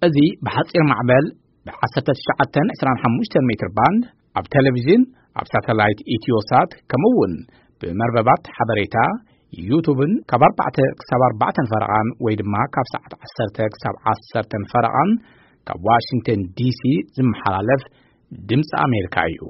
እዚ ብሓጺር ማዕበል ብ1925 ሜትር ባንድ ኣብ ቴሌቪዥን፣ ኣብ ሳተላይት ኢትዮሳት፣ ከምኡ እውን ብመርበባት ሓበሬታ ዩቱብን ካብ ኣርባዕተ ክሳብ ኣርባዕተን ፈረቓን ወይ ድማ ካብ ሰዓት ዓሰርተ ክሳብ ዓሰርተን ፈረቓን ካብ ዋሽንግተን ዲሲ ዝመሓላለፍ ድምፂ ኣሜሪካ እዩ።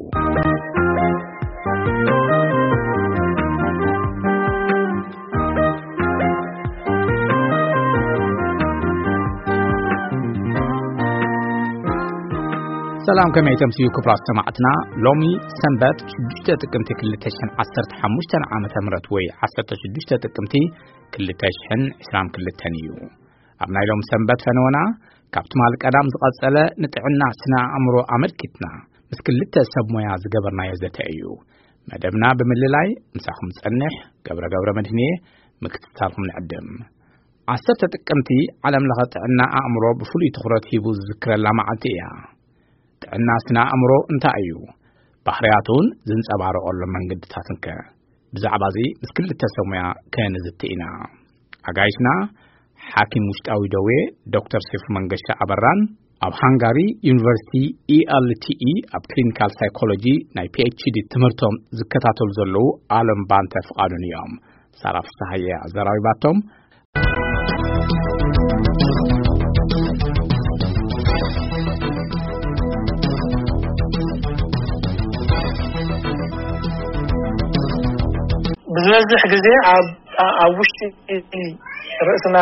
ሰላም፣ ከመይ ተምስዩ ክቡራት ሰማዕትና? ሎሚ ሰንበት ሽዱሽተ ጥቅምቲ ክልተ ሽሕን ዓሰርተ ሓሙሽተን ዓመተ ምህረት ወይ ዓሰርተ ሽዱሽተ ጥቅምቲ ክልተ ሽሕን ዕስራን ክልተን እዩ። ኣብ ናይ ሎም ሰንበት ፈነወና ካብ ትማል ቀዳም ዝቐጸለ ንጥዕና ስነ ኣእምሮ ኣመልኪትና ምስ ክልተ ሰብ ሞያ ዝገበርናዮ ዘተ እዩ። መደብና ብምልላይ ምሳኹም ጸንሕ ገብረ ገብረ መድህንየ ምክትታልኩም ንዕድም። ዓሰርተ ጥቅምቲ ዓለም ለኸ ጥዕና ኣእምሮ ብፍሉይ ትኹረት ሂቡ ዝዝክረላ መዓልቲ እያ። ጥዕና ስነ ኣእምሮ እንታይ እዩ? ባህርያቱን ዝንጸባረቐሎም መንገድታትን ከ? ብዛዕባ እዚ ምስ ክልተ ሰብ ሞያ ከንዝቲ ኢና። ኣጋይሽና ሓኪም ውሽጣዊ ደዌ ዶክተር ሴፉ መንገሻ ኣበራን ኣብ ሃንጋሪ ዩኒቨርሲቲ ኢኤልቲኢ ኣብ ክሊኒካል ሳይኮሎጂ ናይ ፒኤችዲ ትምህርቶም ዝከታተሉ ዘለዉ ኣለም ባንተ ፍቓዱን እዮም። ሳራ ፍስሃየ ኣዘራሪባቶም። ብዝበዝሕ ግዜ ኣብ ኣብ ውሽጢ ርእስና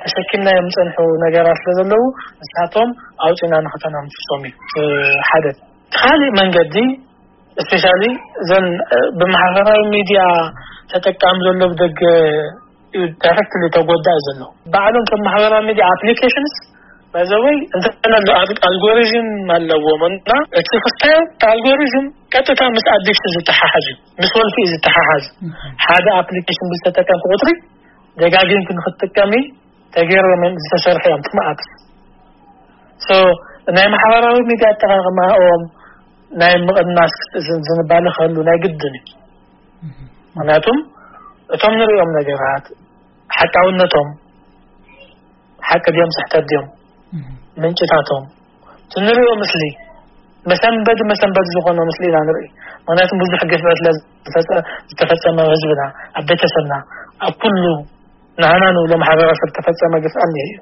ተሸኪምናዮም ዝጸንሑ ነገራት ስለ ዘለዉ ንሳቶም ኣውጺና ንኸተናምሶም እዩ። ሓደ እቲ ካልእ መንገዲ ስፔሻሊ እዘን ብማሕበራዊ ሚድያ ተጠቃሚ ዘሎ ብደገ እዩ ዳይሬክትሊ ተጎዳእ ዘሎ። ባዕሎም ከም ማሕበራዊ ሚድያ ኣፕሊኬሽንስ ባይዘወይ እንተነሉ ኣልጎሪዝም ኣለዎም እና እቲ ክስታይ ኣልጎሪዝም ቀጥታ ምስ ኣዲክሽን ዝተሓሓዝ እዩ፣ ምስ ወልፊ እዩ ዝተሓሓዝ። ሓደ ኣፕሊኬሽን ብዝተጠቀምኩ ቁፅሪ ደጋጊምክ ንክትጥቀሚ ተገይሮም ዝተሰርሑ እዮም ትማኣት። ሶ ናይ ማሕበራዊ ሚድያ ኣጠቃቅማኦም ናይ ምቕናስ ዝንባለ ክህሉ ናይ ግድን እዩ። ምክንያቱም እቶም ንሪኦም ነገራት ሓቃውነቶም ሓቂ ድዮም ስሕተት ድዮም ምንጭታቶም እቲ ንሪኦ ምስሊ መሰንበዲ መሰንበዲ ዝኾነ ምስሊ ኢና ንርኢ። ምክንያቱም ብዙሕ ግፍዒ ስለ ዝተፈጸመ ህዝብና ኣብ ቤተሰብና ኣብ ኩሉ ንዓና ንብሎ ማሕበረሰብ ዝተፈጸመ ግፍዒ እኒሀ እዩ።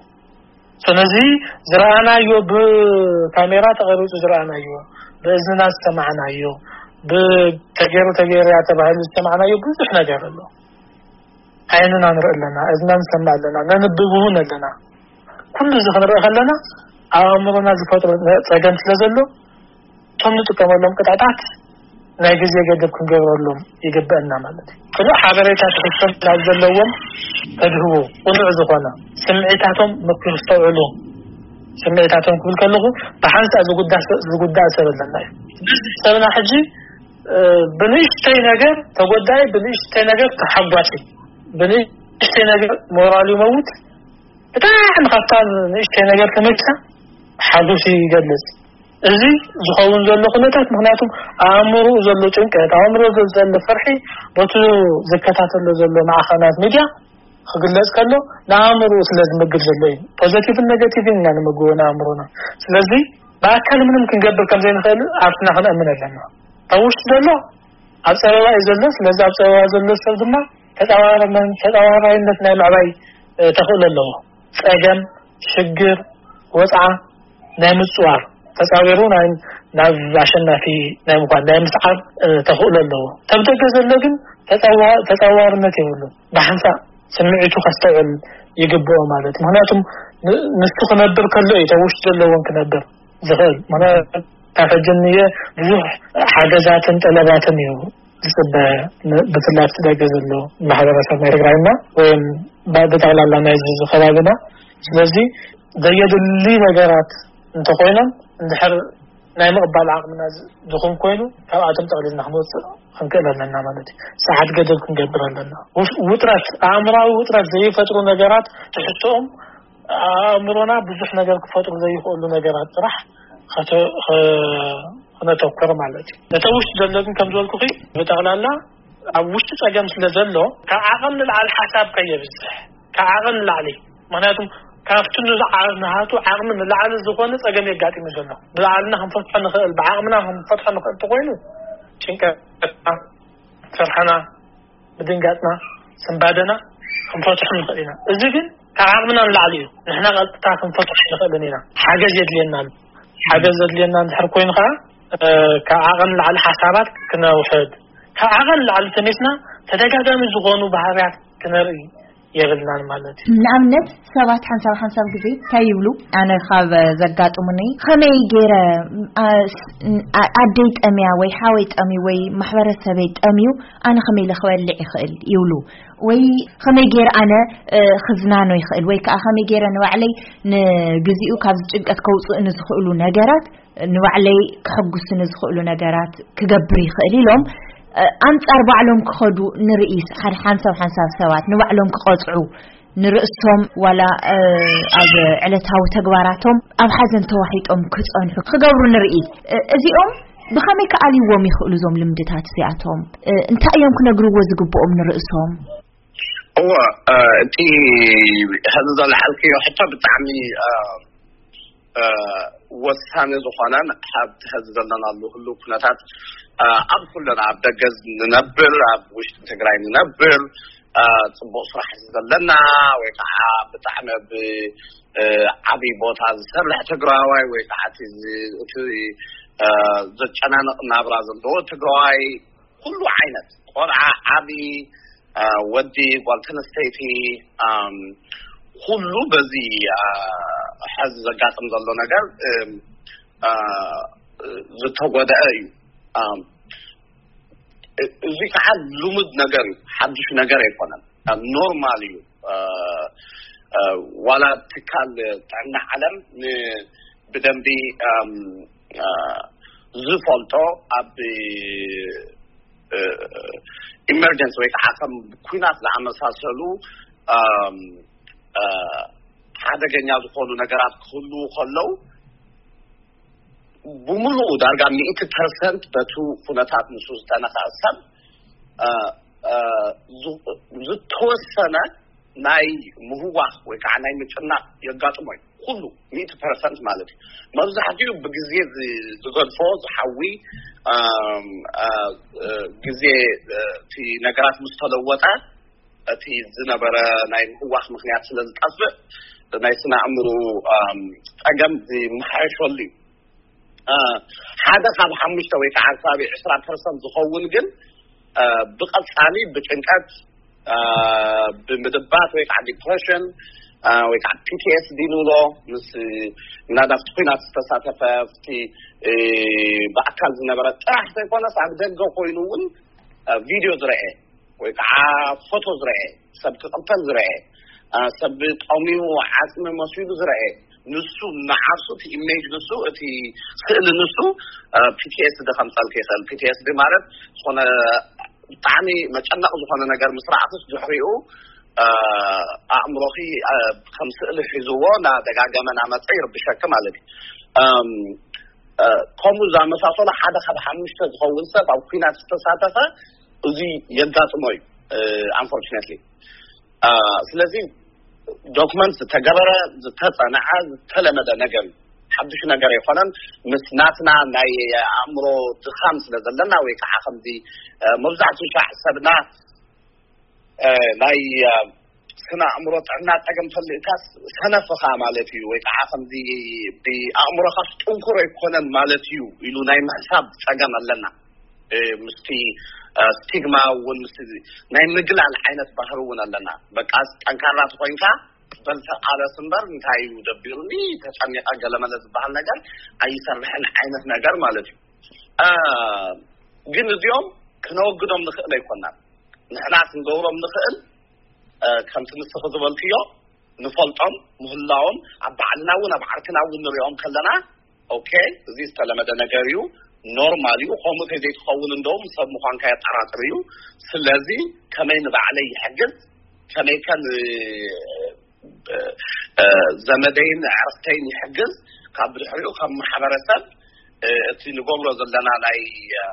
ስለዚ ዝረኣናዮ ብካሜራ ተቐሪፁ ዝረኣናዮ ብእዝንና ዝሰማዕናዮ ብተገይሩ ተገይሩ እያ ተባሂሉ ዝሰማዕናዮ ብዙሕ ነገር ኣሎ። ዓይንና ንርኢ ኣለና፣ እዝና ንሰምዕ ኣለና፣ ነንብብ እውን ኣለና። ኩሉ እዚ ክንርኢ ከለና ኣብ ኣእምሮና ዝፈጥሮ ጸገም ስለ ዘሎ እቶም ንጥቀመሎም ቅጥዕታት ናይ ግዜ ገደብ ክንገብረሎም ይግበአና ማለት እዩ። ቅኑዕ ሓበሬታ ትሕዝቶ ናብ ዘለዎም ተድህቦ ቅኑዕ ዝኾነ ስምዒታቶም ምክስተውዕሉ ስምዒታቶም ክብል ከለኹ ብሓንሳእ ዝጉዳእ ሰብ ኣለና እዩ። ሰብና ሕጂ ብንእሽተይ ነገር ተጎዳኢ ብንእሽተይ ነገር ተሓጓሲ ብንእሽተይ ነገር ሞራሉ ይመውት። ብጣዕሚ ካብታ ንእሽተይ ነገር ተመኪሳ ሓጎሱ ይገልጽ። እዚ ዝኸውን ዘሎ ኩነታት ምክንያቱም ኣእምሮኡ ዘሎ ጭንቀት ኣእምሮ ዘሎ ፍርሒ በቲ ዝከታተሎ ዘሎ ማዕኸናት ሚድያ ክግለጽ ከሎ ንኣእምሮኡ ስለ ዝምግብ ዘሎ እዩ። ፖዘቲቭን ኔጋቲቭን ኢና ንምግቦ ንኣእምሮና። ስለዚ ብኣካል ምንም ክንገብር ከም ዘይንኽእል ኣብትና ክንእምን ኣለና። ካብ ውሽጢ ዘሎ ኣብ ጸበባ እዩ ዘሎ። ስለዚ ኣብ ጸበባ ዘሎ ሰብ ድማ ተጻዋርነት ናይ ምዕባይ ተኽእሎ ኣለዎ። ጸገም ሽግር ወጽዓ ናይ ምጽዋር ተጻዊሩ ናብ ኣሸናፊ ናይ ምኳን ናይ ምስዓር ተኽእሎ ኣለዎ። ተብደገ ዘሎ ግን ተጻዋርነት የብሉን። ብሓንሳእ ስምዒቱ ከስተውዕል ይግብኦ ማለት ምክንያቱም ንሱ ክነብር ከሎ እዩ ተውሽጢ ዘለዎን ክነብር ዝኽእል። ምክንያቱ ካብ ሕጂ ንየ ብዙሕ ሓገዛትን ጠለባትን እዩ ዝፅበ። ብፍላይ ኣብቲ ደገ ዘሎ ማሕበረሰብ ናይ ትግራይና ወይም ብጠቕላላ ናይ ከባቢና። ስለዚ ዘየድሊ ነገራት እንተኮይኖም እንድሕር ናይ ምቕባል ዓቕምና ዝኹን ኮይኑ ካብኣቶም ጠቕሊልና ክንወፅእ ክንክእል ኣለና ማለት እዩ። ሰዓት ገደብ ክንገብር ኣለና። ውጥረት ኣእምራዊ ውጥረት ዘይፈጥሩ ነገራት ትሕዝቶኦም ኣእምሮና ብዙሕ ነገር ክፈጥሩ ዘይኽእሉ ነገራት ጥራሕ ክነተኩር ማለት እዩ። ነተ ውሽጢ ዘሎ ግን ከም ዝበልኩኺ ብጠቕላላ ኣብ ውሽጢ ጸገም ስለ ዘሎ ካብ ዓቐን ንላዕሊ ሓሳብ ከየብዝሕ ካብ ዓቐን ንላዕሊ ምክንያቱም ካብቲ ንዝዓ-፣ ንሃቱ ዓቕሚ ንላዕሊ ዝኾነ ጸገም የጋጢሙ ዘሎ። ብባዕልና ክንፈትሖ ንኽእል፣ ብዓቕምና ክንፈትሖ ንኽእል እንተኾይኑ፣ ጭንቀትና፣ ስርሕና፣ ምድንጋጽና፣ ስንባደና ክንፈትሖ ንኽእል ኢና። እዚ ግን ካብ ዓቕምና ንላዕሊ እዩ። ንሕና ቀጥታ ክንፈትሖ ንኽእልን ኢና። ሓገዝ የድልየና ኣሎ። ሓገዝ ዘድልየና እንድሕር ኮይኑ ከዓ፣ እ፣ ካብ ዓቐን ንላዕሊ ሓሳባት ክነውሕድ፣ ካብ ዓቐን ንላዕሊ ተነስና ተደጋጋሚ ዝኾኑ ባህርያት ክነርኢ የብልናን ማለት እዩ። ንኣብነት ሰባት ሓንሳብ ሓንሳብ ግዜ እንታይ ይብሉ? ኣነ ካብ ዘጋጥሙኒ ከመይ ገይረ፣ ኣ፣ ስ-፣ ኣ-፣ ኣደይ ጠምያ ወይ ሓወይ ጠምዩ ወይ ማሕበረሰበይ ጠምዩ ኣነ ከመይ ኢለ ክበልዕ ይኽእል ይብሉ። ወይ ከመይ ገይረ ኣነ፣ እ፣ ክዝናኖ ይኽእል ወይ ከዓ ከመይ ገይረ ንባዕለይ ንግዚኡ ካብዚ ጭንቀት ከውፅእኒ ዝኽእሉ ነገራት ንባዕለይ ክሕጉስኒ ዝኽእሉ ነገራት ክገብር ይኽእል ኢሎም፣ እ፣ ኣንጻር ባዕሎም ክኸዱ ንርኢ። ሓደ ሓንሳብ ሓንሳብ ሰባት ንባዕሎም ክቐጽዑ ንርእሶም ዋላ፣ እ፣ ኣብ ዕለታዊ ተግባራቶም ኣብ ሓዘን ተዋሒጦም ክጸንሑ ክገብሩ ንርኢ። እ፣ እዚኦም ብኸመይ ክኣልይዎም ይኽእሉ እዞም ልምድታት እዚኣቶም? እ፣ እንታይ እዮም ክነግርዎ ዝግብኦም ንርእሶም? እወ፣ እ፣ እቲ ሕዚ ዘልዓልክዮ ሕቶ ብጣዕሚ፣ እ፣ እ፣ ወሳኒ ዝኾነን ኣብቲ ሕዚ ዘለናሉ ህሉው ኩነታት፣ እ፣ ኣብ ኩለና ኣብ ደገ ንነብር፣ ኣብ ውሽጢ ትግራይ ንነብር፣ እ፣ ጽቡቕ ስራሕ ዘለና ወይ ከዓ ብጣዕሚ ኣብ፣ እ፣ ዓብዪ ቦታ ዝሰርሕ ትግራዋይ ወይ ከዓ እቲ ዝ-፣ እቲ፣ እ፣ ዘጨናንቕ ናብራ ዘለዎ ትግራዋይ ኩሉ ዓይነት ቆልዓ፣ ዓቢ፣ አ፣ ወዲ፣ ጓል ተነስተይቲ፣ ኣም፣ ኩሉ በዚ፣ አ፣ ሐዚ ዘጋጥም ዘሎ ነገር፣ እም፣ አ፣ ዝተጎድአ እዩ። ኣም፣ እ-፣ እዚ ከዓ ልሙድ ነገር እዩ፣ ሓዱሽ ነገር ኣይኮነን። ኣም፣ ኖርማል እዩ። አ፣ አ፣ ዋላ ትካል ጥዕና ዓለም ን-፣ ብደንቢ፣ ኣም፣ አ፣ ዝፈልጦ ኣብ፣ እ፣ ኢመርጀንሲ ወይ ከዓ ከም ኩናት ዝኣመሳሰሉ፣ ኣም፣ አ፣ ሓደገኛ ዝኾኑ ነገራት ክህልዉ ከለዉ ብምሉኡ ዳርጋ ሚእቲ ፐርሰንት በቱ ኩነታት ንሱ ዝተነኽአ ሰብ፣ አ፣ አ፣ ዝ-፣ ዝተወሰነ ናይ ምህዋኽ ወይ ከዓ ናይ ምጭናቕ የጋጥሞ እዩ። ኩሉ ሚእቲ ፐርሰንት ማለት እዩ። መብዛሕትኡ ብግዜ ዝ-፣ ዝገድፎ ዝሓዊ፣ ኣም፣ አ፣ እ፣ ግዜ፣ እ፣ እቲ ነገራት ምስ ተለወጠ እቲ ዝነበረ ናይ ምህዋኽ ምኽንያት ስለ ዝጠፍእ ናይ ስነ ኣእምሮ፣ ኣም፣ ጸገም ዝመሓየሸሉ እዩ። እ፣ ሓደ ካብ ሓሙሽተ ወይ ከዓ ኣርባዕተ ዕስራ ፐርሰንት ዝኸውን ግን፣ እ፣ ብቐጻሊ ብጭንቀት፣ እ፣ ብምድባት ወይ ከዓ ዲፕሬሽን፣ እ፣ ወይ ከዓ ፒ ቲ ኤስ ዲ ንብሎ፣ ምስ ምናልባት ኩናት ዝተሳተፈ፣ ኣብቲ፣ እ፣ ብኣካል ዝነበረ ጥራሕ ዘይኮነስ ኣብ ደገ ኮይኑ እውን፣ እ፣ ቪድዮ ዝረአ ወይ ከዓ ፎቶ ዝረአ፣ ሰብ ክቕተል ዝረአ፣ እ፣ ሰብ ጠሚዩ ዓጽሚ መሲሉ ዝረአ፣ ንሱ ንዓርሱ እቲ ኢሜጅ ንሱ፣ እቲ ስእሊ ንሱ፣ እ፣ ፒ ቲ ኤስ ዲ ከምጸልክ ይኽእል። ፒ ቲ ኤስ ዲ ማለት ዝኾነ ብጣዕሚ መጨነቕ ዝኾነ ነገር ምስ ረኣኽስ ድሕሪኡ፣ እ፣ ኣእምሮኺ፣ እ፣ ከም ስእሊ ሒዝዎ እናደጋገመ እናመጸ ይርብሸኪ ማለት እዩ። እም፣ እ፣ ከምኡ ዝኣመሳሰሉ ሓደ ካብ ሓሙሽተ ዝኸውን ሰብ ኣብ ኩናት ዝተሳተፈ እዚ የጋጥሞ እዩ፣ እ፣ ኣንፎርቹነትሊ። እ፣ ስለዚ ዶክመንት ዝተገበረ፣ ዝተጸንዐ፣ ዝተለመደ ነገር እዩ። ሓዱሽ ነገር ኣይኮነን። ምስ ናትና ናይ ኣእምሮ ድኻም ስለ ዘለና ወይ ከዓ ከምዚ፣ እ፣ መብዛሕትኡ ሻዕ ሰብና፣ እ፣ ናይ፣ እ፣ ስነ ኣእምሮ ጥዕና ጸገም ተልእካስ ሰነፍኻ ማለት እዩ ወይ ከዓ ከምዚ ብኣእምሮኻስ ጥንኩር ኣይኮነን ማለት እዩ ኢሉ ናይ ምሕሳብ ጸገም ኣለና። እ፣ ምስቲ፣ እ፣ ስቲግማ እውን ምስቲ ናይ ምግላል ዓይነት ባህሪ እውን ኣለና። በቃ ጠንካራ ተኾይንካ በል ተቓለስ እምበር እንታይ እዩ ደቢሩኒ ተጨኒቐ ገለመለ ዝበሃል ነገር ኣይሰርሕን ዓይነት ነገር ማለት እዩ። እ፣ ግን እዚኦም ክነወግዶም ንኽእል ኣይኮናን። ንሕና ክንገብሮም ንኽእል፣ እ፣ ከምቲ ንስኺ ዝበልክዮ ንፈልጦም ምህላዎም ኣብ ባዕልና እውን ኣብ ዓርክና እውን ንሪኦም ከለና፣ ኦኬ፣ እዚ ዝተለመደ ነገር እዩ፣ ኖርማል እዩ፣ ከምኡ ተዘይትኸውን እንደውም ሰብ ምዃንካ የጠራጥር እዩ። ስለዚ ከመይ ንባዕለይ ይሕግዝ፣ ከመይ ከ ን-፣ እ፣ እ፣ ዘመደይን ኣዕርኽተይን ይሕግዝ፣ ካብ ድሕሪኡ ከም ማሕበረሰብ፣ እ፣ እቲ ንገብሮ ዘለና ናይ፣ እ፣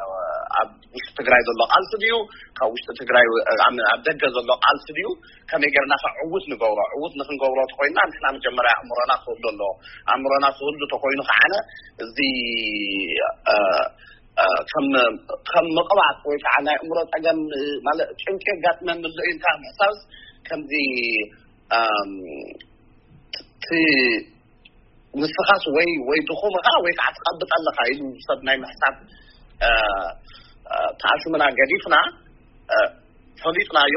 ኣብ ውሽጢ ትግራይ ዘሎ ቃልሲ ድዩ፣ ካብ ውሽጢ ትግራይ ኣብ ደገ ዘሎ ቃልሲ ድዩ፣ ከመይ ጌርና ከ ዕውት ንገብሮ? ዕውት ንክንገብሮ ተኮይና ንሕና መጀመርያ ኣእምሮና ክህሉ ኣለዎ። ኣእምሮና ክህሉ ተኮይኑ ከዓነ እዚ ከም ከም መቕባጥ ወይ ከዓ ናይ ኣእምሮ ፀገም ማለት ጭንቂ የጋጥመኒ ኣሎ ኢልካ ምሕሳብስ ከምዚ እቲ ንስኻስ ወይ ወይ ድኹም ኢኻ ወይ ከዓ ትቐብጥ ኣለኻ ኢሉ ሰብ ናይ ምሕሳብ ተኣሽሙና ገዲፍና ፈሊጥናዮ፣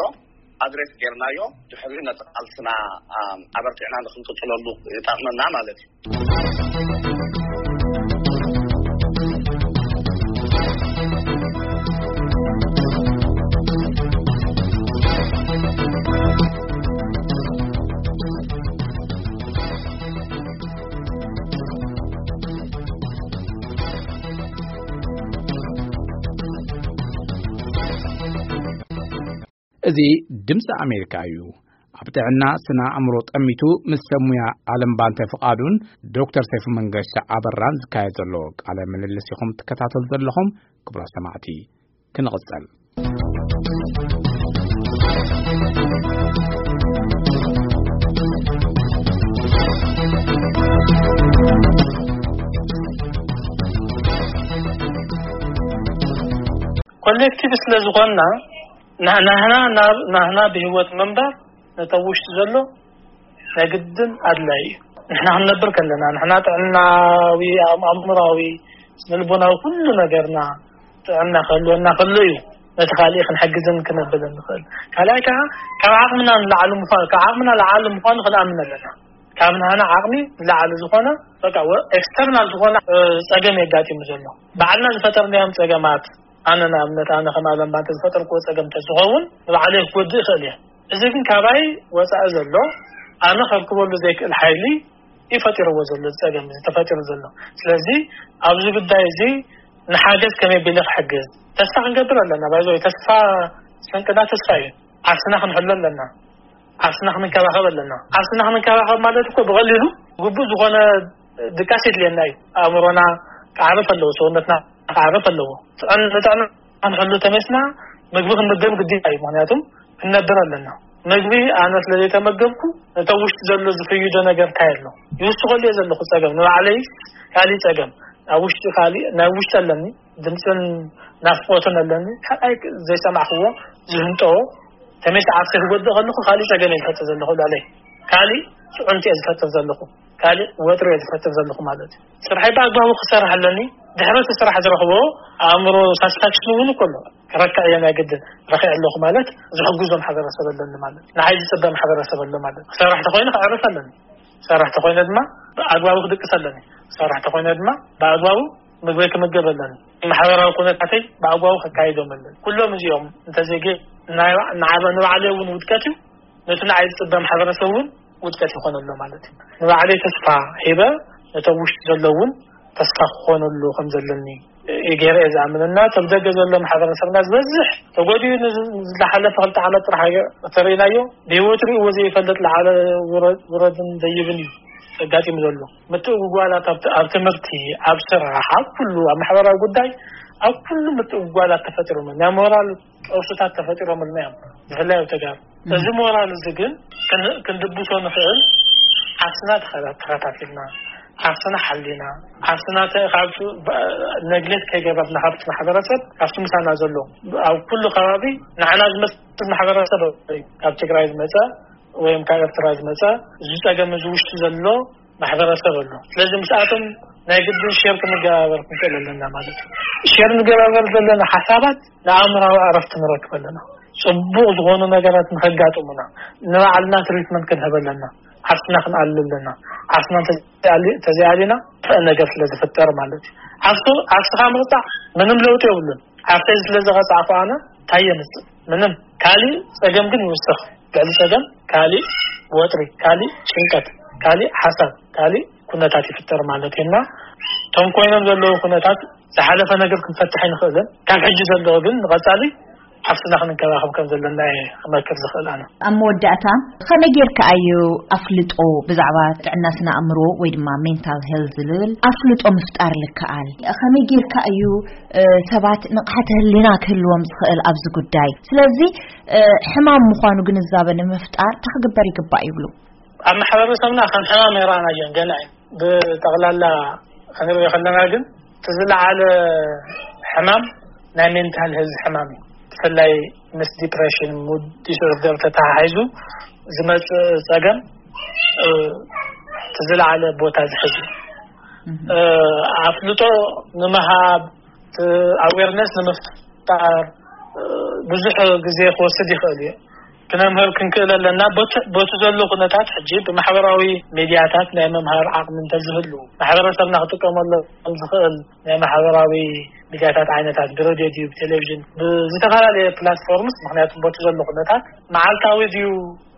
ኣድሬስ ጌርናዮ፣ ድሕሪኡ ነቲ ቃልስና ኣበርቲዕና ንክንቅፅለሉ ይጠቕመና ማለት እዩ። እዚ ድምፂ ኣሜሪካ እዩ። ኣብ ጥዕና ስነ ኣእምሮ ጠሚቱ ምስ ሰብ ሙያ ዓለም ባንተ ፍቓዱን ዶክተር ሰይፉ መንገሻ ኣበራን ዝካየድ ዘሎ ቃለ ምልልስ ኢኹም ትከታተሉ ዘለኹም። ክቡራት ሰማዕቲ፣ ክንቕጸል። ኮሌክቲቭ ስለ ዝኾንና ናህና ናህና ብህይወት ምንባር ነቶም ውሽጢ ዘሎ ናይ ግድን ኣድላይ እዩ። ንሕና ክንነብር ከለና ንሕና ጥዕናዊ ኣእምሮዊ ስነልቦናዊ ኩሉ ነገርና ጥዕና ክህልወና ከሎ እዩ ነቲ ካልእ ክንሕግዝን ክነብልን ንኽእል። ካልኣይ ከዓ ካብ ዓቕምና ንላዕሊ ምኳኑ ካብ ዓቕምና ላዕሊ ምኳኑ ክንኣምን ኣለና። ካብ ናህና ዓቕሚ ንላዕሊ ዝኾነ በቃ ኤክስተርናል ዝኾነ ፀገም የጋጢሙ ዘሎ ባዕልና ዝፈጠርናዮም ፀገማት ኣነ ንኣብነት ኣነ ከም ኣለምባ እንተዝፈጠርክዎ ፀገም እንተዝኸውን ንባዕለይ ክጎድእ ይኽእል እየ። እዚ ግን ካባይ ወፃኢ ዘሎ ኣነ ከርክበሉ ዘይክእል ሓይሊ እዩ ፈጢርዎ ዘሎ እዚ ፀገም እዚ ተፈጢሩ ዘሎ። ስለዚ ኣብዚ ጉዳይ እዚ ንሓገዝ ከመይ ቢለ ክሕግዝ ተስፋ ክንገብር ኣለና። ባይዘ ተስፋ ስንቅና ተስፋ እዩ። ዓርስና ክንሕሎ ኣለና። ዓርስና ክንከባኸብ ኣለና። ዓርስና ክንከባኸብ ማለት እኮ ብቐሊሉ ግቡእ ዝኾነ ድቃስ የድልየና እዩ። ኣእምሮና ክዓርፍ ኣለዎ፣ ሰውነትና ክዓርፍ ኣለዎ። ጥዕን ንጥዕና ክንሕሉ ተመስና ምግቢ ክንምገብ ግዴታ እዩ። ምክንያቱም ክንነብር ኣለና። ምግቢ ኣነ ስለ ዘይተመገብኩ ነቶም ውሽጢ ዘሎ ዝፍይዶ ነገር እንታይ ኣሎ ይውስኸሉ እየ ዘለኹ። ፀገም ንባዕለይ ካሊእ ፀገም ኣብ ውሽጢ ካሊእ ናይ ውሽጢ ኣለኒ ድምፅን ናፍቆትን ኣለኒ። ካልኣይ ዘይሰማዕክዎ ዝህንጠዎ ተመይሲ ዓርሰ ክጎድእ ከለኹ ካሊእ ፀገም እየ ዝፈጥር ዘለኹ። ላለይ ካሊእ ፅዕንቱ እየ ዝፈጥር ዘለኹ። ካሊእ ወጥሪ እየ ዝፈጥር ዘለኹ ማለት እዩ። ስርሐይ ብኣግባቡ ክሰርሕ ኣለኒ። ድሕሪ እቲ ስራሕ ዝረኽቦ ኣእምሮ ሳትስፋክሽን እውን እኮ ኣሎ። ክረክዕ እየ ናይ ግድን ረኪዕ ኣለኹ ማለት ዝሕግዞ ማሕበረሰብ ኣለኒ ማለት ንዓይ ዝፅበ ማሕበረሰብ ኣሎ ማለት ክሰርሕ ተኮይነ ክዕርፍ ኣለኒ። ክሰርሕ ተኮይነ ድማ ብኣግባቡ ክድቅስ ኣለኒ። ክሰርሕ ተኮይነ ድማ ብኣግባቡ ምግበይ ክምገብ ኣለኒ። ማሕበራዊ ኩነታተይ ብኣግባቡ ከካይዶም ኣለኒ። ኩሎም እዚኦም እንተዘይገ ንባዕለይ እውን ውድቀት እዩ። ነቲ ንዓይ ዝፅበ ማሕበረሰብ እውን ውድቀት ይኾን ኣሎ ማለት እዩ። ንባዕለይ ተስፋ ሂበ ነቶም ውሽጢ ዘለውን ተስፋ ክኾነሉ ከም ዘለኒ ገይረ እየ ዝኣምንና ተብ ደገ ዘሎ ማሕበረሰብና ዝበዝሕ ተጎዲኡ ዝሓለፈ ክልተ ዓመት ጥራሕ ተርእናዮ ብህይወት ርእዎ ዘይፈልጥ ለዓለ ውረድን ደይብን እዩ ኣጋጢሙ ዘሎ። ምትእጉጓላት ኣብ ትምህርቲ፣ ኣብ ስራሕ፣ ኣብ ኩሉ ኣብ ማሕበራዊ ጉዳይ ኣብ ኩሉ ምትእጉጓላት ተፈጢሮም ናይ ሞራል ቀውስታት ተፈጢሮምልና እዮም። ብፍላይ ኣብ ተጋሩ እዚ ሞራል እዚ ግን ክንድብሶ ንኽእል ዓርስና ተኸታቲልና ዓርስና ሓሊና ዓርስና ካብ ነግሌት ከይገበርና ካብቲ ማሕበረሰብ ካብቲ ምሳና ዘሎ ኣብ ኩሉ ከባቢ ንዓና ዝመስል ማሕበረሰብ ካብ ትግራይ ዝመፀ ወይም ካብ ኤርትራ ዝመፀ እዚ ፀገም እዚ ውሽጢ ዘሎ ማሕበረሰብ ኣሎ። ስለዚ ምስኣቶም ናይ ግድን ሸር ክንገባበር ክንክእል ኣለና ማለት እዩ። ሸር ንገባበር ዘለና ሓሳባት ንኣእምራዊ ዕረፍቲ ንረክብ ኣለና። ፅቡቕ ዝኾኑ ነገራት ንኸጋጥሙና ንባዕልና ትሪትመንት ክንህብ ኣለና። ዓርስና ክንኣል ኣለና። ዓርስና ተዘይኣሊና ነገር ስለ ዝፍጠር ማለት እዩ። ዓርስኻ ምቕጣዕ ምንም ለውጢ የብሉን። ዓርሰይ ስለ ዝቐፃዕኩ ኣነ እንታይ የምፅእ? ምንም። ካሊእ ፀገም ግን ይውስኽ። ልዕሊ ፀገም ካሊእ ወጥሪ፣ ካሊእ ጭንቀት፣ ካሊእ ሓሳብ፣ ካሊእ ኩነታት ይፍጠር ማለት እዩ። እና እቶም ኮይኖም ዘለዉ ኩነታት ዝሓለፈ ነገር ክንፈትሕ ኣይንኽእልን። ካብ ሕጂ ዘለዎ ግን ንቐፃሊ ዓርስና ክንንከባኸብ ከም ዘለና እየ ክመክር ዝኽእል ኣነ። ኣብ መወዳእታ፣ ከመይ ጌርካ እዩ ኣፍልጦ ብዛዕባ ጥዕና ስነ ኣእምሮ ወይ ድማ ሜንታል ሄልዝ ዝብል ኣፍልጦ ምፍጣር ልከኣል? ከመይ ጌርካ እዩ ሰባት ንቕሓተ ህሊና ክህልዎም ዝኽእል ኣብዚ ጉዳይ? ስለዚ ሕማም ምዃኑ ግንዛበ ንምፍጣር እንታይ ክግበር ይግባእ ይብሉ? ኣብ ማሕበረሰብና ከም ሕማም ኣይረኣናዮን ገና እዩ። ብጠቕላላ ክንሪኦ ከለና ግን እቲ ዝለዓለ ሕማም ናይ ሜንታል ሄልዝ ሕማም እዩ። ብፍላይ ምስ ዲፕሬሽን፣ ሙድ ዲስኦርደር ተተሓሒዙ ዝመፅእ ፀገም እቲ ዝለዓለ ቦታ ዝሕዝ እዩ። ኣፍልጦ ንምሃብ፣ ኣዌርነስ ንምፍጣር ብዙሕ ግዜ ክወስድ ይኽእል እዩ። ክነምህር ክንክእል ኣለና። በቲ ዘሎ ኩነታት ሕጂ ብማሕበራዊ ሚድያታት ናይ ምምሃር ዓቕሚ እንተዝህሉ፣ ማሕበረሰብና ክጥቀመሎም ዝኽእል ናይ ማሕበራዊ ሚድያታት ዓይነታት ብሬድዮ ድዩ ብቴሌቪዥን ብዝተፈላለየ ፕላትፎርምስ፣ ምክንያቱም በቲ ዘሎ ኩነታት መዓልታዊ ድዩ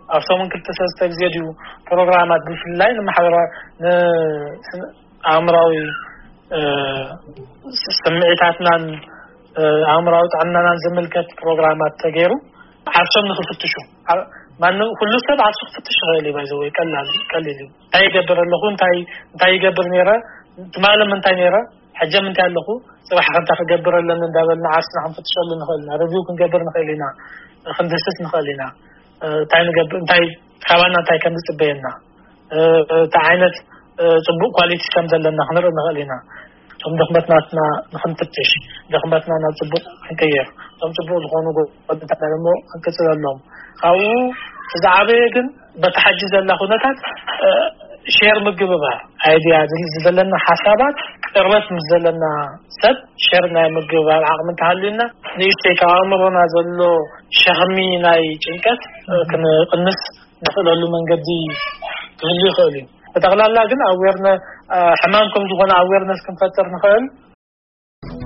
ኣብ ሰሙን ክልተ ሰለስተ ግዜ ድዩ ፕሮግራማት ብፍላይ ንማሕበራ ንኣእምራዊ ስምዒታትናን ኣእምራዊ ጥዕናናን ዝምልከት ፕሮግራማት ተገይሩ ዓርሶም ንክፍትሹ። ማንም ኩሉ ሰብ ዓርሱ ክፍትሽ ይኽእል እዩ። ባይዘወይ ቀላል ቀሊል እዩ። እንታይ ይገብር ኣለኹ፣ እንታይ እንታይ ይገብር ነይረ፣ ትማሊ ምንታይ ነይረ፣ ሕጀ ምንታይ ኣለኹ፣ ፅባሕ ከምታ ክገብር ኣለኒ እንዳበልና ዓርስና ክንፍትሸሉ ንኽእል ኢና፣ ሪቪው ክንገብር ንኽእል ኢና፣ ክንድህስስ ንኽእል ኢና። እንታይ ንገብር፣ እንታይ ካባና እንታይ ከም ዝፅበየና፣ እንታይ ዓይነት ፅቡቅ ኳሊቲ ከም ዘለና ክንርኢ ንኽእል ኢና። እቶም ድኽመትናትና ንክንፍትሽ፣ ድኽመትና ናብ ፅቡቅ ክንቅይር፣ እቶም ፅቡቅ ዝኾኑ ጎድንታትና ደግሞ ክንቅፅለሎም። ካብኡ እቲ ዝዓበየ ግን በቲ ሓጂ ዘላ ኩነታት ሼር ምግብባር፣ ኣይድያ ዘለና ሓሳባት ቅርበት ምስ ዘለና ሰብ ሼር ናይ ምግብባር ዓቕሚ እንተሃልዩና፣ ንእሽተይ ካብ ኣእምሮና ዘሎ ሸኽሚ ናይ ጭንቀት ክንቕንስ ንኽእለሉ መንገዲ ክህሉ ይኽእል እዩ። ብጠቕላላ ግን ኣዌርነ ሕማም ከም ዝኾነ ኣዌርነስ ክንፈጥር ንኽእል።